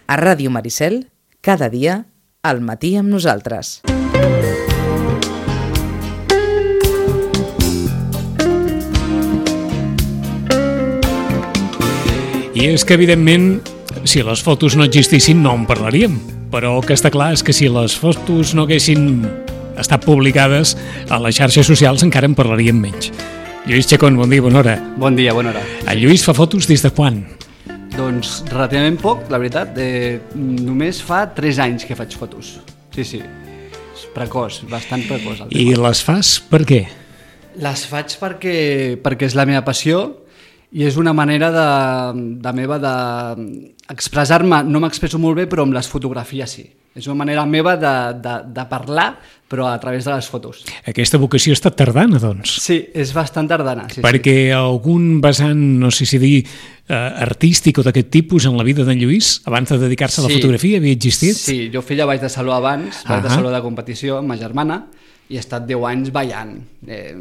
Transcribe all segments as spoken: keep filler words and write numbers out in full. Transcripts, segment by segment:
A Ràdio Maricel, cada dia, al matí amb nosaltres. I és que, evidentment, si les fotos no existissin no en parlaríem, però el que està clar és que si les fotos no haguessin estat publicades a les xarxes socials encara en parlaríem menys. Lluís Chacón, bon dia, bona hora. Bon dia, bona hora. El Lluís fa fotos des de quan? Doncs relativament poc, la veritat. Eh, només fa tres anys que faig fotos. Sí, sí. És precoç, bastant precoç. I les fas per què? Les faig perquè, perquè és la meva passió i és una manera de, de meva d'expressar-me. No m'expresso molt bé, però amb les fotografies sí. És una manera meva de, de, de parlar, però a través de les fotos. Aquesta vocació ha estat tardana, doncs. Sí, és bastant tardana. Sí, perquè sí. Algun vessant, no sé si dir, eh, artístic o d'aquest tipus en la vida d'en Lluís, abans de dedicar-se a la sí. fotografia, havia existit? Sí, jo feia ball de saló abans, ball uh-huh. de saló de competició amb ma germana, i he estat deu anys ballant. Eh,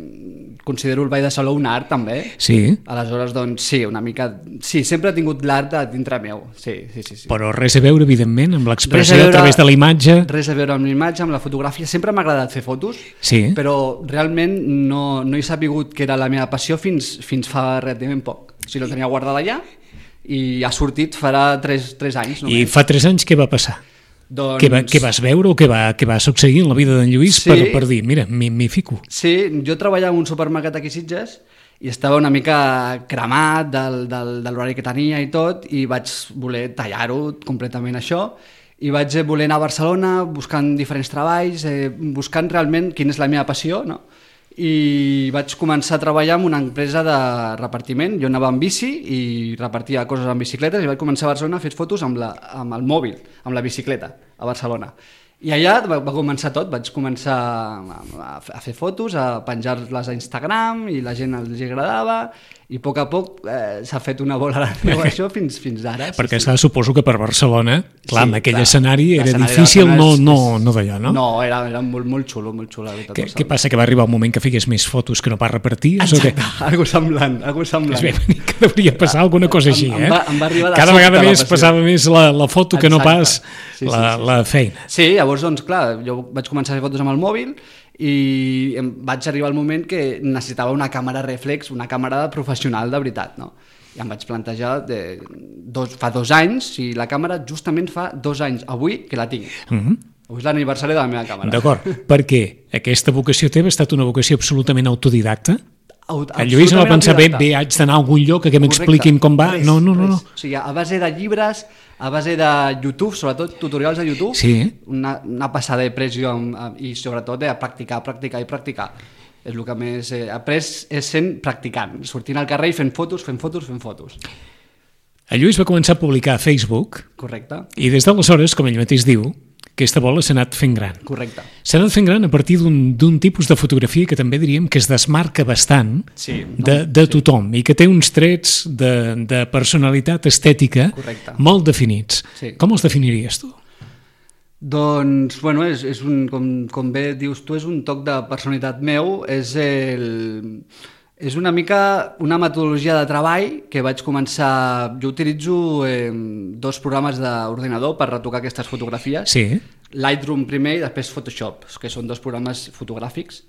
considero el ball de saló un art, també. Sí. Aleshores, doncs, sí, una mica... Sí, sempre he tingut l'art a dintre meu. Sí, sí, sí, sí. Però res a veure, evidentment, amb l'expressió a, a través de la imatge. Res a veure amb l'imatge, amb la fotografia. Sempre m'ha agradat fer fotos, sí. però realment no, no he sapigut que era la meva passió fins, fins fa relativament poc. O sigui, no tenia guardada allà i ha sortit farà tres, tres anys. Només. I fa tres anys què va passar? Doncs... Què, va, què vas veure o què va, què va succeir en la vida d'en Lluís sí. per, per dir, mira, m'hi fico? Sí, jo treballava en un supermercat aquí a Sitges i estava una mica cremat del, del, de l'horari que tenia i tot, i vaig voler tallar-ho completament això, i vaig voler anar a Barcelona buscant diferents treballs, eh, buscant realment quina és la meva passió, no? I vaig començar a treballar en una empresa de repartiment. Jo anava amb bici i repartia coses amb bicicletes i vaig començar a Barcelona a fer fotos amb, la, amb el mòbil, amb la bicicleta, a Barcelona. I allà va, va començar tot, vaig començar a, a fer fotos, a penjar-les a Instagram i la gent els agradava, i a poc a poc eh, s'ha fet una bola de neu això fins, fins ara. Sí, perquè sí. sí. Suposo que per Barcelona, clar, sí, en aquell clar, escenari era difícil no, no, no d'allò, no? No, era, era molt, molt xulo, molt xulo. Què, què passa, que va arribar un moment que figués més fotos que no pas repartir? Exacte, algo semblant, algo semblant. És bé, que devia passar alguna cosa així, eh? Em va, em va arribar de cada vegada més la passava més la, la foto que Exacte. No pas sí, sí, la, sí, sí. la feina. Sí, llavors, doncs, clar, jo vaig començar a fer fotos amb el mòbil i em vaig arribar al moment que necessitava una càmera reflex, una càmera professional de veritat, no? I em vaig plantejar de dos, fa dos anys, i la càmera justament fa dos anys, avui, que la tinc. Mm-hmm. Avui és l'aniversari de la meva càmera. D'acord, perquè aquesta vocació teva ha estat una vocació absolutament autodidacta? Aut el Lluís no va pensar, bé, bé, haig d'anar a algun lloc que m'expliquin com va. Res, no, no, no, no. O sigui, a base de llibres, a base de YouTube, sobretot tutorials de YouTube, sí. una, una passada de pressió i sobretot de practicar, practicar i practicar. És el que més he après, és sent practicant, sortint al carrer i fent fotos, fent fotos, fent fotos. El Lluís va començar a publicar a Facebook. Correcte. I des d'aleshores, com ell mateix diu, aquesta bola s'ha anat fent gran. Correcte. S'ha anat fent gran a partir d'un tipus de fotografia que també diríem que es desmarca bastant sí, no? de, de sí. tothom i que té uns trets de, de personalitat estètica Correcte. Molt definits. Sí. Com els definiries tu? Doncs, bueno, és, és un, com, com bé dius tu, és un toc de personalitat meu, és el... És una mica una metodologia de treball que vaig començar... Jo utilitzo eh, dos programes d'ordinador per retocar aquestes fotografies. Sí. Lightroom primer i després Photoshop, que són dos programes fotogràfics.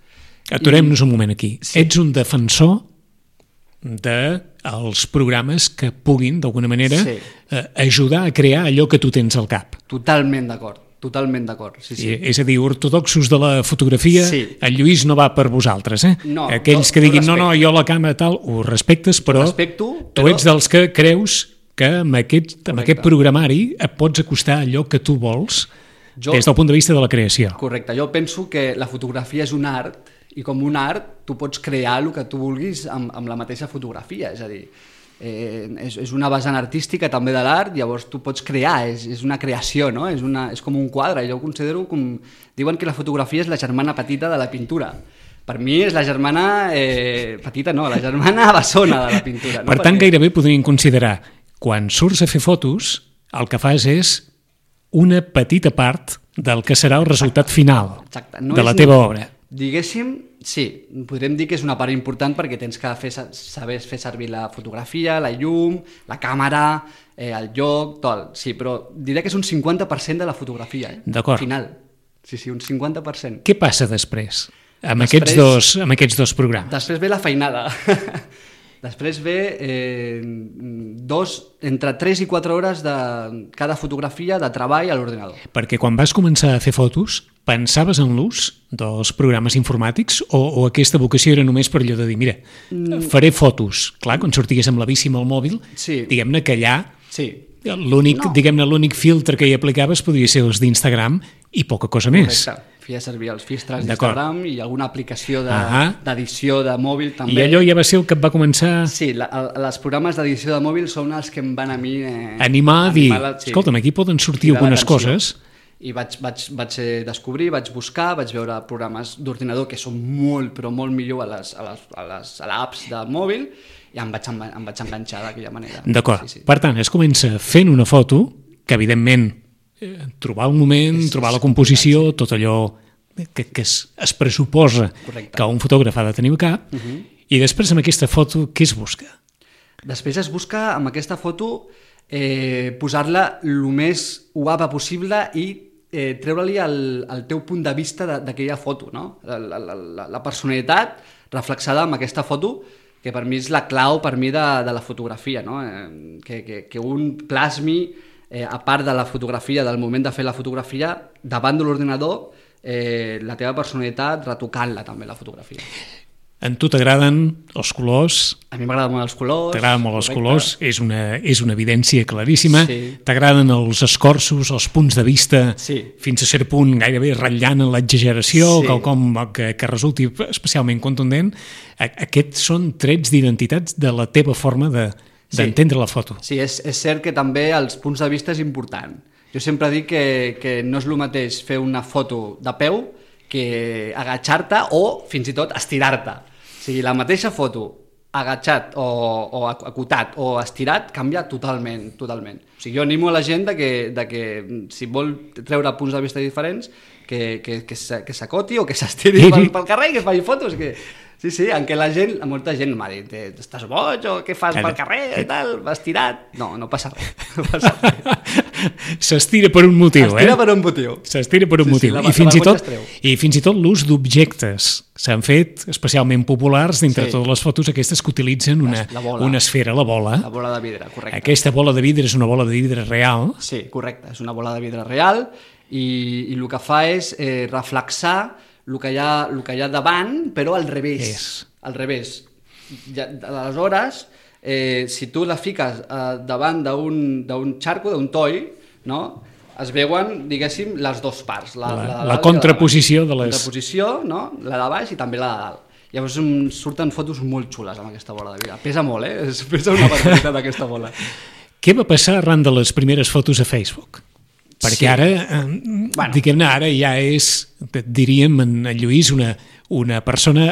Aturem-nos I... un moment aquí. Sí. Ets un defensor dels programes que puguin, d'alguna manera, sí. eh, ajudar a crear allò que tu tens al cap. Totalment d'acord. Totalment d'acord, sí, sí. I, és a dir, ortodoxos de la fotografia, sí. El Lluís no va per vosaltres, eh? No, aquells no, que diguin, no, no, no, jo la càmera tal, ho respectes, però respecto, tu però... ets dels que creus que amb aquest, amb aquest programari et pots acostar a allò que tu vols jo... des del punt de vista de la creació. Correcte, jo penso que la fotografia és un art, i com un art tu pots crear el que tu vulguis amb, amb la mateixa fotografia, és a dir, Eh, és, és una vessant artística també de l'art, llavors tu pots crear, és, és una creació, no? És, una, és com un quadre, jo ho considero com... Diuen que la fotografia és la germana petita de la pintura. Per mi és la germana eh, petita, no, la germana bessona de la pintura. No? Per tant, Perquè... gairebé podríem considerar, quan surts a fer fotos, el que fas és una petita part del que serà el resultat final Exacte. No de la és teva ni... obra. Diguéssim, sí, podríem dir que és una part important perquè tens que fer, saber fer servir la fotografia, la llum, la càmera, eh, el lloc, tot. Sí, però diré que és un cinquanta per cent de la fotografia, eh? D'acord. Al final. Sí, sí, un cinquanta per cent. Què passa després, amb, Després- aquests, dos, amb aquests dos programes? Després ve la feinada. Després ve eh, dos, entre tres i quatre hores de cada fotografia de treball a l'ordinador. Perquè quan vas començar a fer fotos, pensaves en l'ús dels programes informàtics o, o aquesta vocació era només per allò de dir, mira, faré fotos. Clar, quan sortigués amb la bici amb el mòbil, Sí. diguem-ne que allà Sí, l'únic, No. diguem-ne, l'únic filtre que hi aplicaves podria ser els d'Instagram i poca cosa més. correcte. Feia servir els filtres D'acord. d'Instagram i alguna aplicació de- Ahà. d'edició de, de mòbil també. I allò ja va ser el que et va començar Sí, la, el, els programes d'edició de mòbil són els que em van a mi... Eh, a animar a dir, animar la- sí, escolta'm, aquí poden sortir cridar algunes l'atenció. coses. I vaig, vaig, vaig eh, descobrir, vaig buscar, vaig veure programes d'ordinador que són molt, però molt millor a les, a les, a les a l'apps de mòbil i em vaig, enva- em vaig enganxar d'aquella manera. D'acord. Sí, sí. Per tant, es comença fent una foto que, evidentment, eh, trobar un moment, És- trobar és la composició, tot allò que, que es, es pressuposa Correcte. que un fotògraf ha de tenir al cap, uh-huh. i després amb aquesta foto què es busca? Després es busca amb aquesta foto eh, posar-la el més guapa possible i eh, treure-li el, el teu punt de vista de- d'aquella foto, no? La, la, la, la personalitat reflexada amb aquesta foto, que per mi és la clau per mi de, de la fotografia, no? Eh, que, que, que un plasmi, eh, a part de la fotografia, del moment de fer la fotografia, davant de l'ordinador, eh, la teva personalitat retocant-la també, la fotografia. A tu t'agraden els colors, A mi m'agraden molt els colors. t'agraden molt els correcte. colors, és una, és una evidència claríssima, Sí. t'agraden els escorços, els punts de vista, Sí. fins a cert punt gairebé ratllant en l'exageració, Sí. quelcom que, que resulti especialment contundent. A- Aquests són trets d'identitats de la teva forma de Sí. d'entendre la foto. Sí, és, és cert que també els punts de vista és important. Jo sempre dic que, que no és el mateix fer una foto de peu que agachar-te o fins i tot estirar-te. O sigui, la mateixa foto agachat o, o acotat o estirat canvia totalment, totalment. O sigui, jo animo a la gent de que, de que si vol treure punts de vista diferents que, que, que s'a- que s'acoti o que s'estiri pel, pel carrer i que es faci fotos. Que... Sí, sí, en què la gent, molta gent m'ha dit, "Eh, estàs boig o què fas pel carrer i tal, vas tirat? No, no passa res. No passa res. S'estira per un motiu, Estira eh? per un motiu. S'estira per un Sí, sí, motiu. la- I, la fins i, vergonya tot, es treu. I fins i tot l'ús d'objectes s'han fet especialment populars dintre Sí. totes les fotos aquestes que utilitzen una, La bola. una esfera, la bola. La bola de vidre, correcte. Aquesta bola de vidre és una bola de vidre real. Sí, correcte. És una bola de vidre real i, i el que fa és eh, reflexar el que, hi ha, el que hi ha davant, però al revés. És. Al revés. Ja, aleshores, eh, si tu la fiques eh, davant d'un d'un xarco, d'un toll, no? Es veuen, diguéssim, les dues parts. La, La- de la dalt i de contraposició baix. de les- Contraposició, no? La de baix i també la de dalt. Llavors em surten fotos molt xules amb aquesta bola de vidre. Pesa molt, eh? Es pesa una barbaritat aquesta bola. Què va passar arran de les primeres fotos a Facebook? Perquè Sí. ara, eh, Bueno. diguem-ne, ara ja és, diríem, en Lluís, una, una persona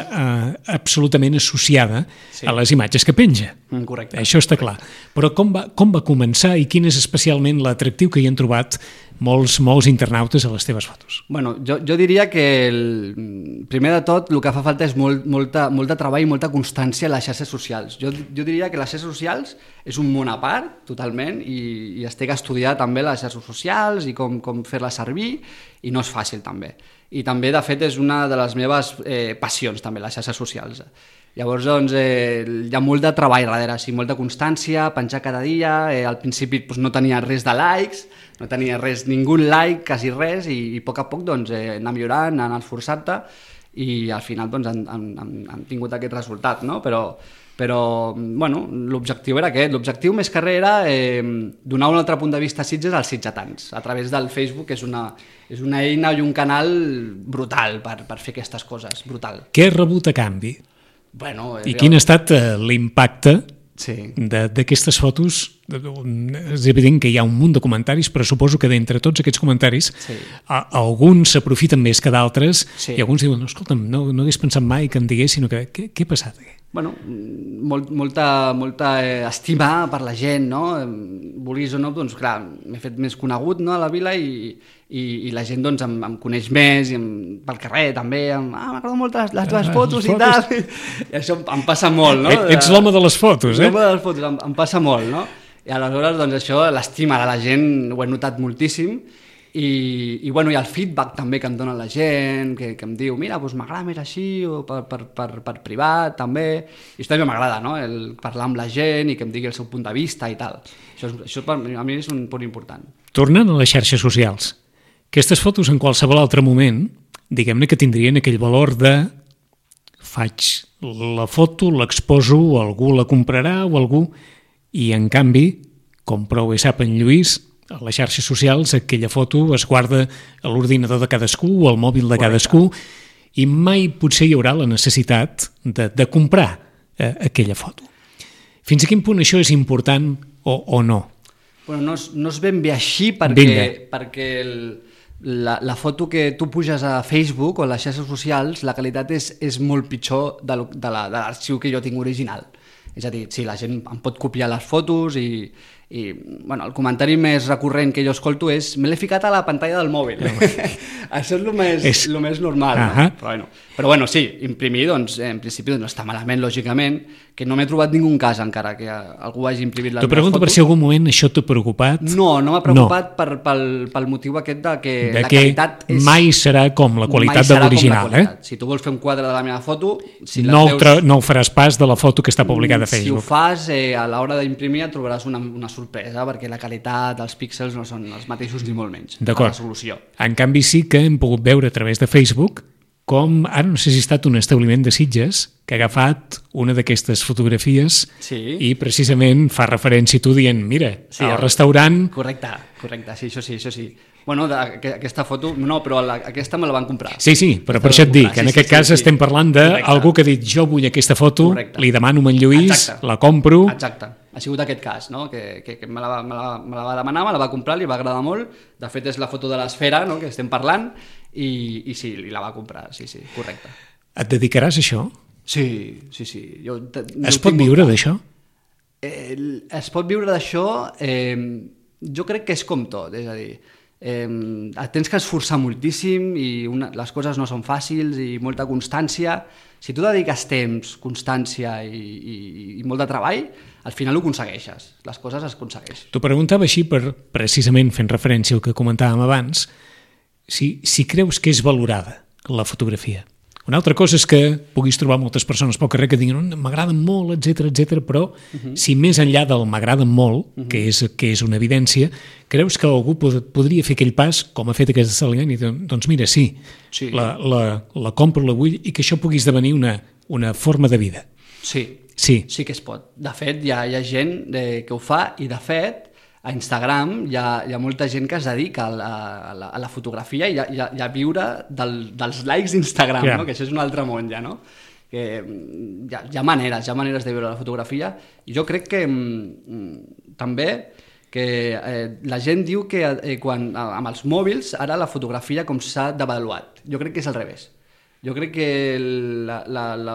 eh, absolutament associada Sí. a les imatges que penja. Mm, correcte. Això està clar. Però com va, com va començar i quin és especialment l'atractiu que hi han trobat molts, molts internautes a les teves fotos? Bueno, jo, jo diria que el, primer de tot el que fa falta és molt, molta, molt de treball i molta constància a les xarxes socials. Jo, jo diria que les xarxes socials és un món a part, totalment, i, i es té que estudiar també les xarxes socials i com, com fer-les servir, i no és fàcil també. I també, de fet, és una de les meves eh, passions també, les xarxes socials. Llavors, doncs, eh, hi ha molt de treball darrere, sí, molta constància, penjar cada dia, eh, al principi doncs, no tenia res de likes, no tenia res, ningú like, quasi res, i, i a poc a poc doncs, eh, anar millorant, anar esforçant-te, i al final doncs, han, han, han, han tingut aquest resultat, no? Però, però bueno, l'objectiu era aquest, l'objectiu més que res era eh, donar un altre punt de vista a Sitges als sitgetans, a través del Facebook, que és una, és una eina i un canal brutal per, per fer aquestes coses, brutal. Què has rebut a canvi? Bueno, I quin ha estat eh, l'impacte Sí. de- d'aquestes fotos? És evident que hi ha un munt de comentaris, però suposo que d'entre tots aquests comentaris Sí. a, alguns s'aprofiten més que d'altres Sí. i alguns diuen, no, escolta'm, no, no hagués pensat mai que em diguessin que, què, què ha passat aquí? bueno, molt, molta, molta eh, estima per la gent, no? Vulguis o no, doncs clar, m'he fet més conegut, no, a la vila i, i, i la gent doncs, em, em coneix més, i em, pel carrer també, em, ah, m'agrada molt les, les teves fotos, fotos i tal, i això em passa molt, no? Ets l'home de les fotos, eh? L'home de les fotos, em, em passa molt, no? I aleshores, doncs això, l'estima de la gent ho he notat moltíssim. I, i, bueno, i el feedback també que em dona la gent, que, que em diu, mira, doncs m'agrada més així, o per, per, per, per privat també, i això també m'agrada, no? El parlar amb la gent i que em digui el seu punt de vista i tal. Això, és, això per, a mi és un punt important. Tornant a les xarxes socials, aquestes fotos en qualsevol altre moment, diguem-ne que tindrien aquell valor de faig la foto, l'exposo, algú la comprarà o algú, i en canvi, com prou bé sap en Lluís, a les xarxes socials aquella foto es guarda a l'ordinador de cadascú o al mòbil de cadascú i mai potser hi haurà la necessitat de, de comprar eh, aquella foto. Fins a quin punt això és important o, o no? Bueno, no, és, no és ben bé així perquè, perquè el, la, la foto que tu puges a Facebook o a les xarxes socials, la qualitat és, és molt pitjor de, de l'arxiu que jo tinc original. És a dir, sí, la gent em pot copiar les fotos i, i bueno, el comentari més recurrent que jo escolto és me l'he ficat a la pantalla del mòbil. Això és el més, és... el més normal. Uh -huh. No? Però, bueno, però bueno, sí, imprimir, doncs, en principi doncs, no està malament, lògicament, que no m'he trobat ningú cas encara que algú hagi imprimit les meves fotos. T'ho pregunto per si algun moment això t'ha preocupat. No, no m'ha preocupat no. Per, pel, pel motiu aquest de que de la que qualitat és... mai serà com la qualitat de l'original. Eh? Si tu vols fer un quadre de la meva foto... Si no, veus... tra... no ho faràs pas de la foto que està publicada a Facebook. Si ho fas, eh, a l'hora d'imprimir et trobaràs una, una sorpresa, perquè la qualitat dels píxels no són els mateixos ni molt menys. D'acord. La resolució. En canvi sí que hem pogut veure a través de Facebook com, ara no sé si ha estat un establiment de Sitges que ha agafat una d'aquestes fotografies sí. i precisament fa referència a tu dient, mira, sí, al restaurant... Correcte, correcte, sí, això sí, això sí. Bueno, de, que, aquesta foto, no, però la, aquesta me la van comprar. Sí, sí, però per això et dic, que en sí, aquest sí, cas sí, estem parlant d'algú que ha dit jo vull aquesta foto, correcte. Li demano a en Lluís, exacte. La compro... Exacte, ha sigut aquest cas, no? que, que, que me, la, me, la, me la va demanar, me la va comprar, li va agradar molt, de fet és la foto de l'esfera, no?, que estem parlant, i, i sí, li la va comprar, sí, sí, correcte. Et dedicaràs a això? Sí, sí, sí. Jo, es pot viure d'això? Eh, es pot viure d'això, eh, jo crec que és com tot, és a dir, eh, tens que esforçar moltíssim i una, les coses no són fàcils i molta constància. Si tu dediques temps, constància i, i, i molt de treball, al final ho aconsegueixes, les coses es aconsegueixen. T'ho preguntava així per, precisament fent referència al que comentàvem abans, si, si creus que és valorada la fotografia. Una altra cosa és que puguis trobar moltes persones pel carrer que diguin m'agraden molt, etcètera, etcètera, però uh -huh. si més enllà del m'agraden molt, uh -huh. que, és, que és una evidència, creus que algú pod podria fer aquell pas, com ha fet aquest establement, i doncs mira, sí, sí. La, la, la compro, la vull, i que això pugui esdevenir una, una forma de vida. Sí, sí, sí que es pot. De fet, hi ha, hi ha gent de, que ho fa, i de fet, a Instagram hi ha, hi ha molta gent que es dedica a la, a la, a la fotografia i a, i a, i a viure del, dels likes d'Instagram, yeah. no? Que això és un altre món ja, no? Que hi ha, hi ha maneres, hi ha maneres de viure la fotografia, i jo crec que mm, també que eh, la gent diu que eh, quan, amb els mòbils ara la fotografia com s'ha devaluat. Jo crec que és al revés. Jo crec que la, la, la,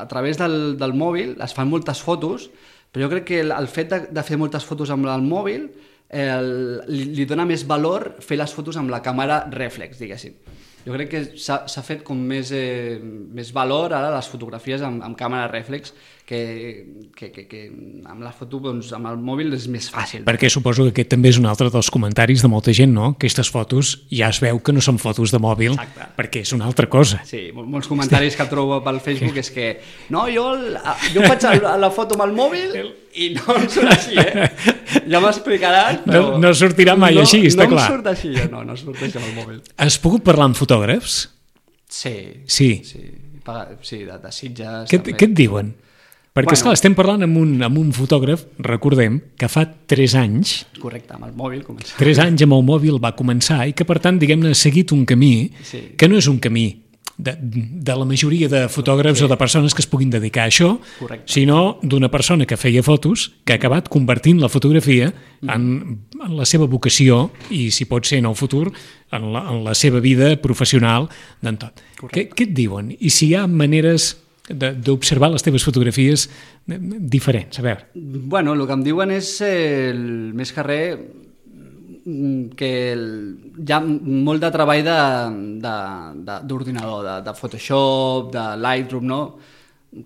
a través del, del mòbil es fan moltes fotos, però jo crec que el, el fet de, de fer moltes fotos amb el mòbil eh, li, li dona més valor fer les fotos amb la càmera rèflex, diguéssim. Jo crec que s'ha fet com més, eh, més valor ara les fotografies amb, amb càmera rèflex que, que, que, que amb la foto, doncs, amb el mòbil és més fàcil. Perquè suposo que aquest també és un altre dels comentaris de molta gent, no? Aquestes fotos ja es veu que no són fotos de mòbil. Exacte. Perquè és una altra cosa. Sí, molts comentaris que trobo pel Facebook és que no, jo, jo faig la foto amb el mòbil i no em surt així, eh? Ja m'explicaràs, però... No, no sortirà mai no, així, està no clar. No em surt així, no, no surt així amb el mòbil. Has pogut parlar amb fotògrafs? Sí. Sí? Sí, sí de, de Sitges. Què, què et diuen? Perquè, bueno, esclar, estem parlant amb un, amb un fotògraf, recordem, que fa tres anys... Correcte, amb el mòbil començar. Tres anys amb el mòbil va començar i que, per tant, diguem-ne, ha seguit un camí sí. que no és un camí de, de la majoria de fotògrafs sí. o de persones que es puguin dedicar a això, correcte. Sinó d'una persona que feia fotos, que ha acabat convertint la fotografia mm. en, en la seva vocació i, si pot ser en el futur, en la, en la seva vida professional d'en tot. Què, què et diuen? I si hi ha maneres d'observar les teves fotografies diferents? A veure. Bueno, el que em diuen és eh, el, més que res que el, hi ha molt de treball d'ordinador, de, de, de, de Photoshop, de Lightroom, no?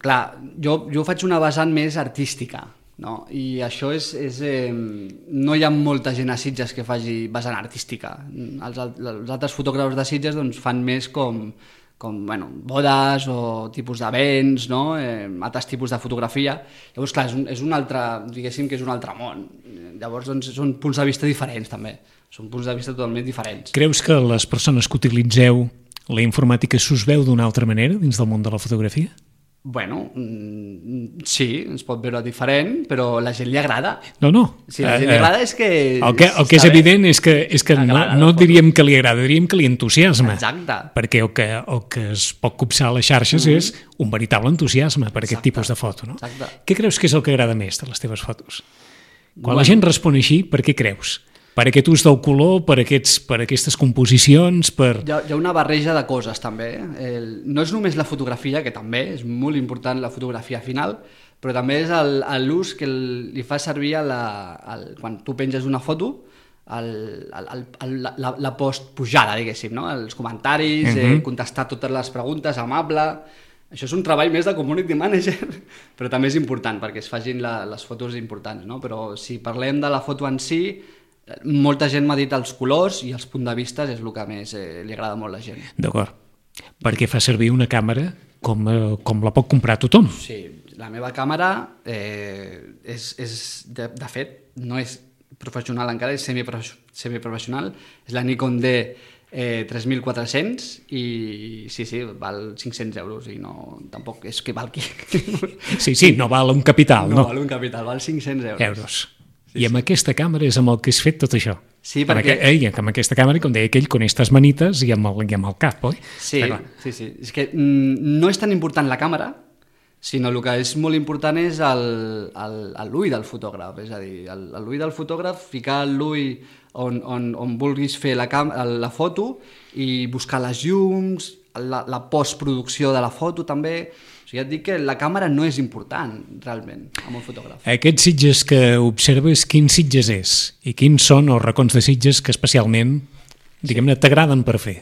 Clar, jo, jo faig una vessant més artística, no? I això és... és eh, no hi ha molta gent a Sitges que faci vessant artística. Els, els altres fotògrafs de Sitges doncs, fan més com... com bueno, bodes o tipus d'events, no? eh, altres tipus de fotografia. Llavors, clar, és un, és un altre, diguéssim que és un altre món. Llavors, doncs, són punts de vista diferents, també. Són punts de vista totalment diferents. Creus que les persones que utilitzeu la informàtica s'us veu d'una altra manera dins del món de la fotografia? Bueno, sí, ens pot veure diferent, però a la gent li agrada. No, no. Si a la gent li agrada és que... El que, el que és evident és que, és que no, no diríem que li agrada, diríem que li entusiasma. Exacte. Perquè el que, el que es pot copsar a les xarxes mm-hmm. és un veritable entusiasme per aquest Exacte. tipus de foto. No? Exacte. Què creus que és el que agrada més de les teves fotos? Quan Bueno. la gent respon així, per què creus? Per aquest ús del color, per, aquests, per aquestes composicions, per... Hi ha, hi ha una barreja de coses, també. El, no és només la fotografia, que també és molt important la fotografia final, però també és l'ús que el, li fa servir a la, al, quan tu penges una foto, el, el, el, la, la post-pujada, diguéssim, no? Els comentaris, uh-huh. eh, contestar totes les preguntes, amable... Això és un treball més de community manager, però també és important perquè es facin la, les fotos importants, no? Però si parlem de la foto en si, molta gent m'ha dit els colors i els punts de vista és el que més eh, li agrada molt a la gent. D'acord. Perquè fa servir una càmera com, eh, com la pot comprar tothom. Sí, la meva càmera eh, és, és de, de fet, no és professional encara, és semiprofessional, és la Nikon D eh, tres mil quatre-cents i sí, sí, val cinc-cents euros i no, tampoc és que valgui. Sí, sí, no val un capital, no? No val un capital, val cinc-cents euros. Euros. I amb aquesta càmera és amb el que has fet tot això. Sí, perquè... Amb, aqu... eh, amb aquesta càmera, com deia aquell, con estas manites i amb el, i amb el cap, oi? Sí, sí, sí. És que mm, no és tan important la càmera, sinó el que és molt important és l'ull del fotògraf. És a dir, l'ull del fotògraf, ficar l'ull on, on, on vulguis fer la, cam... la foto i buscar les llums, la, la postproducció de la foto també... O sigui, et dic que la càmera no és important, realment, amb un fotògraf. Aquests Sitges que observes, quins Sitges és? I quins són els racons de Sitges que especialment, diguem-ne, t'agraden per fer?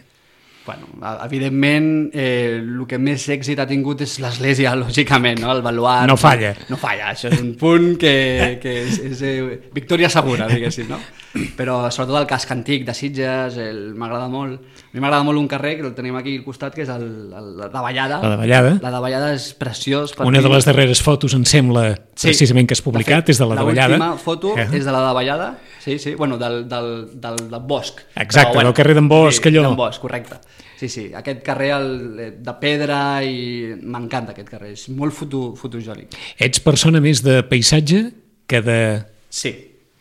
Bueno, evidentment, eh, el que més èxit ha tingut és l'església, lògicament, no? El baluart... No falla. No falla, això és un punt que, que és, és eh, victòria segura, diguéssim, no? Però sobretot el casc antic de Sitges, m'agrada molt. A mi m'agrada molt un carrer, que el tenim aquí al costat, que és el, el, la Davallada. La Davallada. La Davallada és preciós. Per Una mi. de les darreres fotos, em sembla, sí, precisament que has publicat, de fet, és de la Davallada. L'última foto eh? és de la Davallada, sí, sí, bueno, del, del, del, del Bosc. Exacte, però, bueno, del carrer d'en Bosc, sí, allò. d'en Bosc, correcte. Sí, sí, aquest carrer el, de pedra i m'encanta aquest carrer, és molt foto, fotogènic. Ets persona més de paisatge que de... Sí,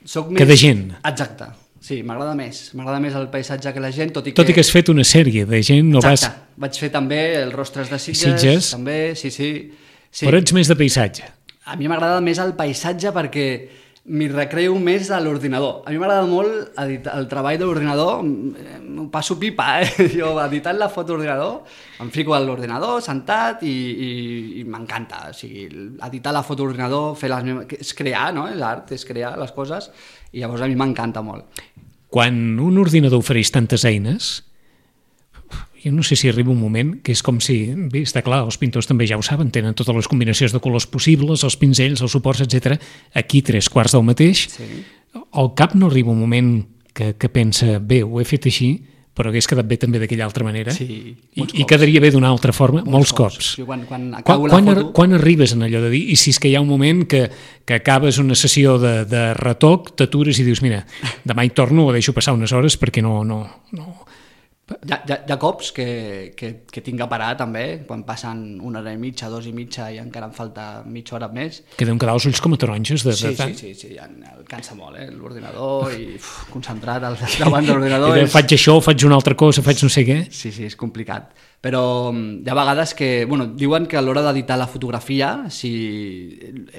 soc que més... de gent. Exacte, sí, m'agrada més, m'agrada més el paisatge que la gent, tot i que... Tot i que has fet una sèrie de gent, no Exacte, vas... vaig fer també els Rostres de Sitges, Sitges. també, sí, sí, sí. Però ets més de paisatge. A mi m'agrada més el paisatge perquè m'hi recreo més a l'ordinador. A mi m'agrada molt editar, el treball de l'ordinador, m'ho passo pipa, eh? Jo editant la foto d'ordinador, em fico a l'ordinador, sentat, i, i, i m'encanta. O sigui, editar la foto d'ordinador, fer les meves... és crear, no? És art, és crear les coses, i llavors a mi m'encanta molt. Quan un ordinador ofereix tantes eines, jo no sé si arriba un moment que és com si, bé, està clar, els pintors també ja ho saben, tenen totes les combinacions de colors possibles, els pinzells, els suports, etcètera. Aquí tres quarts del mateix. Sí. Al cap no arriba un moment que, que pensa, bé, ho he fet així, però hagués quedat bé també d'aquella altra manera. Sí, I, i quedaria bé d'una altra forma, molts, molts cops. cops. Sí, quan, quan quan, acabo quan, la foto... quan arribes en allò de dir, i si és que hi ha un moment que, que acabes una sessió de, de retoc, t'atures i dius, mira, demà hi torno o deixo passar unes hores perquè no... no, no. Hi ha, hi, ha, hi ha cops que, que, que tinc que parar també, quan passen una hora i mitja, dos i mitja i encara em falta mitja hora més. Que deuen quedar els ulls com a taronges de, sí, de tant. Sí, sí, sí, el cansa molt, eh? L'ordinador i uf, concentrat al davant de l'ordinador. És... Faig això, faig una altra cosa, faig no sé què. Sí, sí, és complicat. Però hi ha vegades que, bueno, diuen que a l'hora d'editar la fotografia, si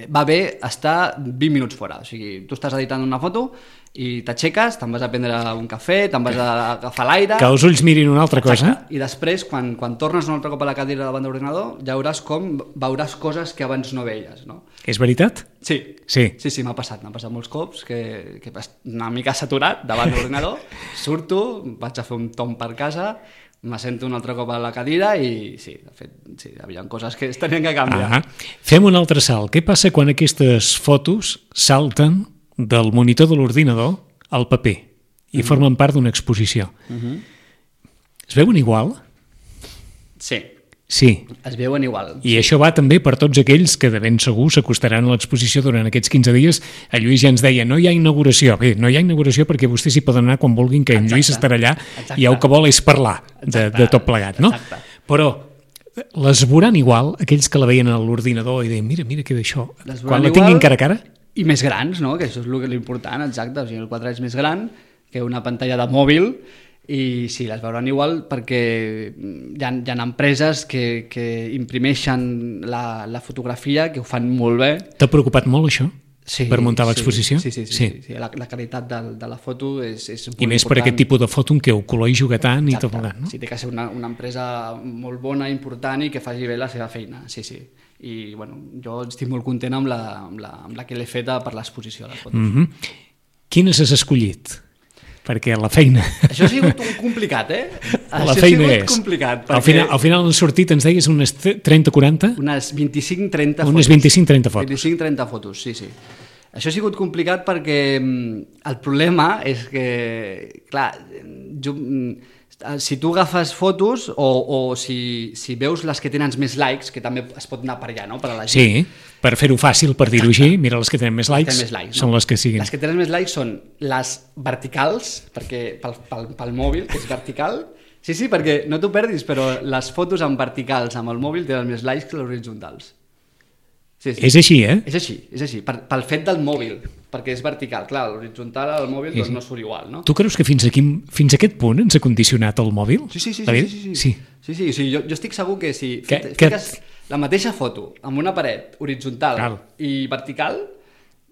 va bé estar vint minuts fora. O sigui, tu estàs editant una foto I t'aixeques, te'n vas a prendre un cafè, te'n vas a agafar l'aire... Que els ulls mirin una altra cosa. Exacte. I després, quan, quan tornes un altre cop a la cadira davant de l'ordinador, ja veuràs com veuràs coses que abans no veies, no? És veritat? Sí, sí, sí, sí m'ha passat, m'ha passat molts cops que, que una mica saturat davant de l'ordinador, surto, vaig a fer un tomb per casa, m'assento un altre cop a la cadira i sí, de fet, sí, hi havia coses que es tenien que canviar. Ah, fem un altre salt. Què passa quan aquestes fotos salten del monitor de l'ordinador al paper i mm-hmm. formen part d'una exposició? Mm-hmm. Es veuen igual? Sí. Sí. Es veuen igual. I sí. Això va també per tots aquells que de ben segur s'acostaran a l'exposició durant aquests quinze dies. El Lluís ja ens deia, no hi ha inauguració. Bé, no hi ha inauguració perquè vostès hi poden anar quan vulguin, que en Lluís estarà allà. Exacte. I el que vol és parlar de, de tot plegat, no? Exacte. Però les veuran igual aquells que la veien a l'ordinador i deien, mira, mira què d'això. Quan la tinguin cara a cara... I més grans, no? Que això és l'important, exacte. O sigui, el quatre és més gran que una pantalla de mòbil. I sí, les veuran igual perquè hi ha, hi ha empreses que, que imprimeixen la, la fotografia, que ho fan molt bé. T'ha preocupat molt això? Sí, per muntar l'exposició? Sí, sí, sí, sí, sí. sí. La, la qualitat de, de la foto és, és molt important. I més per aquest tipus de foto en què el color hi juga tant. Exacte. I tot plegat, no? Sí, té que ser una, una empresa molt bona, important i que faci bé la seva feina, sí, sí. I bueno, jo estic molt content amb la, amb la, amb la que l'he feta per l'exposició de les fotos. Mm-hmm. Quines has escollit? Perquè la feina... Això ha sigut un complicat, eh? La Això feina ha és... complicat. Perquè... Al final, al final han sortit, ens deies, unes trenta quaranta? Unes vint-i-cinc trenta fotos. Unes vint-i-cinc trenta fotos. vint-i-cinc trenta fotos, sí, sí. Això ha sigut complicat perquè el problema és que, clar, jo, si tu agafes fotos o, o si, si veus les que tenen més likes, que també es pot anar per allà, no?, per a la gent. Sí, per fer-ho fàcil, per dir-ho així, mira, les que tenen més likes, més likes són no? les que siguin. Les que tenen més likes són les verticals, perquè pel, pel, pel mòbil, que és vertical. Sí, sí, perquè no t'ho perdis, però les fotos en verticals amb el mòbil tenen més likes que les horitzontals. Sí, sí. És així, eh? És així, és així, per, pel fet del mòbil, perquè és vertical. Clar, l'horitzontal al mòbil doncs, no surt igual, no? Tu creus que fins, aquí, fins a aquest punt ens ha condicionat el mòbil? Sí, sí, sí. Sí, sí, sí, sí. sí, sí, sí jo, jo estic segur que si que, fiques que... la mateixa foto amb una paret horitzontal Cal. i vertical,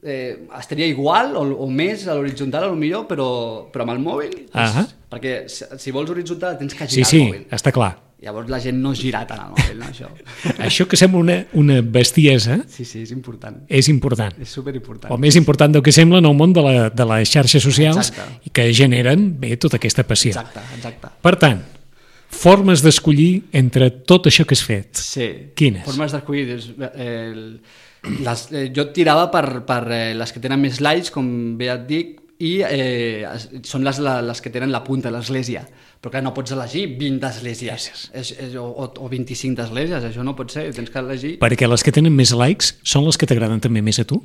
eh, estaria igual o, o més a l'horitzontal, a lo millor, però, però amb el mòbil, doncs, uh-huh. perquè si, si vols horitzontal tens que girar sí, sí, el mòbil. Sí, sí, està clar. Llavors la gent no gira tant al mòbil, no, això. Això que sembla una, una bestiesa... Sí, sí, és important. És important. És superimportant. O més important del que sembla en el món de, la, de les xarxes socials. Exacte. I que generen, bé, tota aquesta passió. Exacte, exacte. Per tant, formes d'escollir entre tot això que has fet. Sí. Quines? Formes d'escollir... Eh, les, eh, jo tirava per, per eh, les que tenen més likes, com bé et dic, i eh, són les, les que tenen la punta, l'església. Però clar, no pots elegir vint esglésies és, és, o, o vint-i-cinc esglésies, això no pot ser, tens que elegir... Perquè les que tenen més likes són les que t'agraden també més a tu?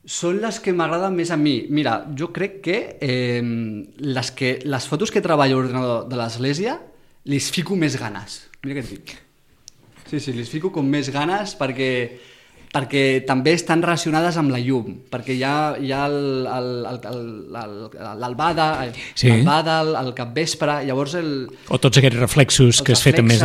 Són les que m'agraden més a mi. Mira, jo crec que, eh, les, que les fotos que treballo a l'ordinador de l'església li fico més ganes. Mira què et dic. Sí, sí, li fico com més ganes perquè... perquè també estan relacionades amb la llum, perquè hi ha, hi ha l'albada, sí. l'albada, el, el capvespre, llavors el... O tots aquests reflexos que has fet amb més...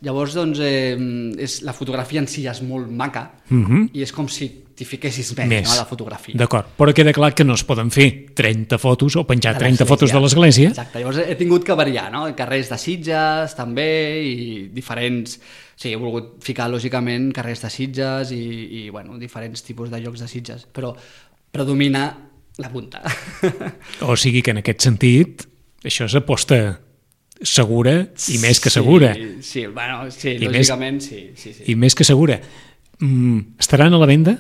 Llavors, doncs, eh, és, la fotografia en si és molt maca, uh-huh. i és com si t'hi fiquessis més, més. No, a la fotografia. D'acord, però queda clar que no es poden fer trenta fotos o penjar trenta fotos de l'església. Exacte, llavors he tingut que variar, no? Carrers de Sitges, també, i diferents... Sí, he volgut ficar, lògicament, carrers de Sitges i, i bueno, diferents tipus de llocs de Sitges, però predomina la punta. O sigui que en aquest sentit, això és aposta segura i més que segura. Sí, sí, bueno, sí, I lògicament, més, sí, sí, sí. I més que segura. Mm, estaran a la venda?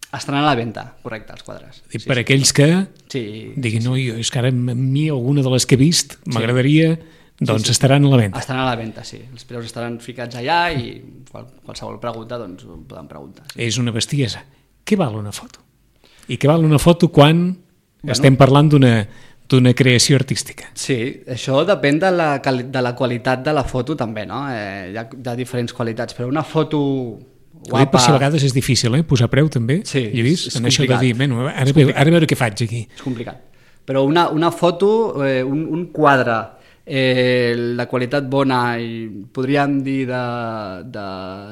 Estaran a la venda, correcte, els quadres. I sí, per sí, aquells que sí, diguin, sí, no, jo, és que ara a mi alguna de les que he vist m'agradaria... Sí. Doncs sí, sí. Estaran a la venda. Estaran a la venda, sí. Els preus estaran ficats allà i qual, qualsevol pregunta doncs ho poden preguntar. Sí. És una bestiesa. Què val una foto? I què val una foto quan bueno, estem parlant d'una d'una creació artística? Sí, això depèn de la, de la qualitat de la foto també, no? Eh, hi ha de diferents qualitats, però una foto guapa... Per si a vegades és difícil, eh? Posar preu també, sí, Lluís, és, és en això de dir, bueno, ara, ve, ara a veure què faig aquí. És complicat. Però una, una foto, eh, un, un quadre eh, de qualitat bona i podríem dir de, de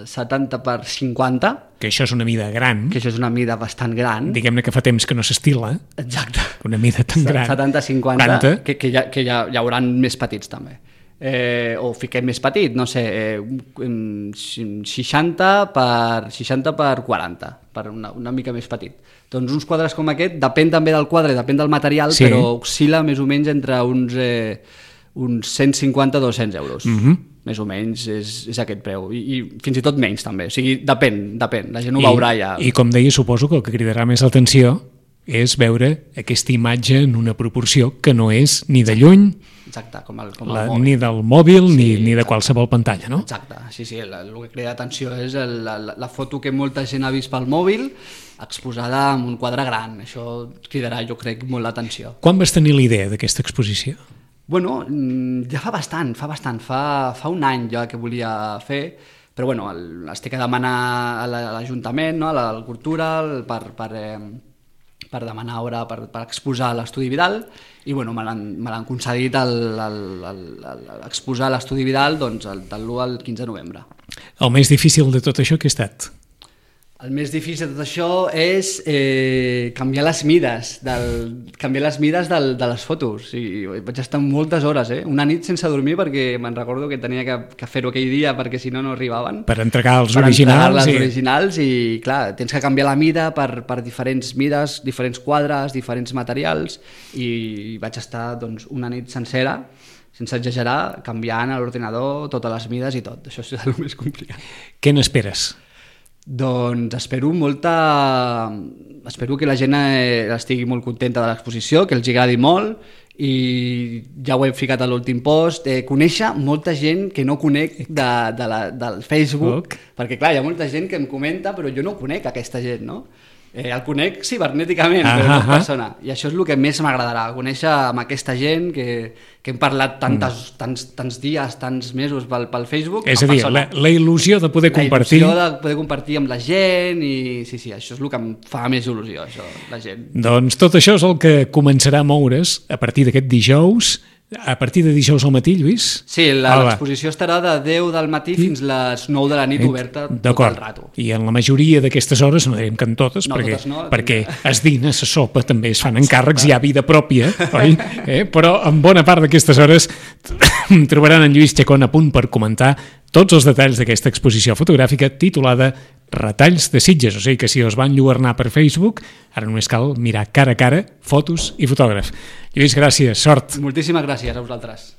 setanta per cinquanta. Que això és una mida gran. Que això és una mida bastant gran. Diguem-ne que fa temps que no s'estila. Exacte. Una mida tan gran. setanta cinquanta, que, que, ja, que ja, hi haurà més petits també. Eh, o fiquem més petit, no sé, eh, seixanta per seixanta per quaranta, per una, una mica més petit. Doncs uns quadres com aquest, depèn també del quadre, depèn del material, sí. Però oscil·la més o menys entre uns, eh, uns cent cinquanta a dos-cents euros. Mm-hmm. Més o menys és, és aquest preu. I, I fins i tot menys també, o sigui, depèn, depèn, la gent ho I, veurà ja. I com deia, suposo que el que cridarà més l'atenció és veure aquesta imatge en una proporció que no és ni de lluny, exacte, com el, com el la, mòbil. ni del mòbil sí, ni, ni de exacte. Qualsevol pantalla, no? Exacte, sí, sí, el, el que crida atenció és el, la, la foto que molta gent ha vist pel mòbil exposada en un quadre gran, això cridarà, jo crec, molt l'atenció. Quan vas tenir la idea d'aquesta exposició? Bueno, ja fa bastant, fa bastant, fa, fa un any ja que volia fer, però bueno, el, estic a demanar a l'Ajuntament, no, a la Cultura, per, per, eh, per demanar hora per, per exposar a l'Estudi Vidal, i bueno, me l'han concedit l'exposar a l'Estudi Vidal doncs, del l'u al quinze de novembre. El més difícil de tot això què ha estat? El més difícil de tot això és eh, canviar les mides, del, canviar les mides del, de les fotos. I vaig estar moltes hores, eh? Una nit sense dormir perquè me'n recordo que tenia que, que fer-ho aquell dia perquè si no no arribaven. Per entregar els per originals. Per entregar les i... originals i clar, tens que canviar la mida per, per diferents mides, diferents quadres, diferents materials i vaig estar doncs, una nit sencera sense exagerar, canviant a l'ordinador totes les mides i tot. Això és el més complicat. Què n'esperes? Doncs espero molta... Espero que la gent eh, estigui molt contenta de l'exposició, que els agradi molt i ja ho he ficat a l'últim post, eh, conèixer molta gent que no conec de, de la, del Facebook, okay. Perquè clar, hi ha molta gent que em comenta però jo no conec aquesta gent, no? Eh, el conec cibernèticament, ah, però no en persona. I això és el que més m'agradarà, conèixer amb aquesta gent que, que hem parlat tantes, mm. tants, tants dies, tants mesos pel, pel Facebook. És a dir, la, la il·lusió de poder la compartir... La il·lusió de poder compartir amb la gent i sí, sí, això és el que em fa més il·lusió, això, la gent. Doncs tot això és el que començarà a moure's a partir d'aquest dijous. A partir de dijous al matí, Lluís? Sí, l'exposició estarà de deu del matí I... fins les nou de la nit oberta tot el rato. I en la majoria d'aquestes hores, no direm que en totes, no, perquè, totes no, perquè es dina, se sopa, també es fan encàrrecs, hi ha vida pròpia, oi? Eh? Però en bona part d'aquestes hores trobaran en Lluís Chacón a punt per comentar tots els detalls d'aquesta exposició fotogràfica titulada Retalls de Sitges, o sigui que si us van lluernar per Facebook, ara només cal mirar cara a cara fotos i fotògraf. Lluís, gràcies, sort. Moltíssimes gràcies a vosaltres.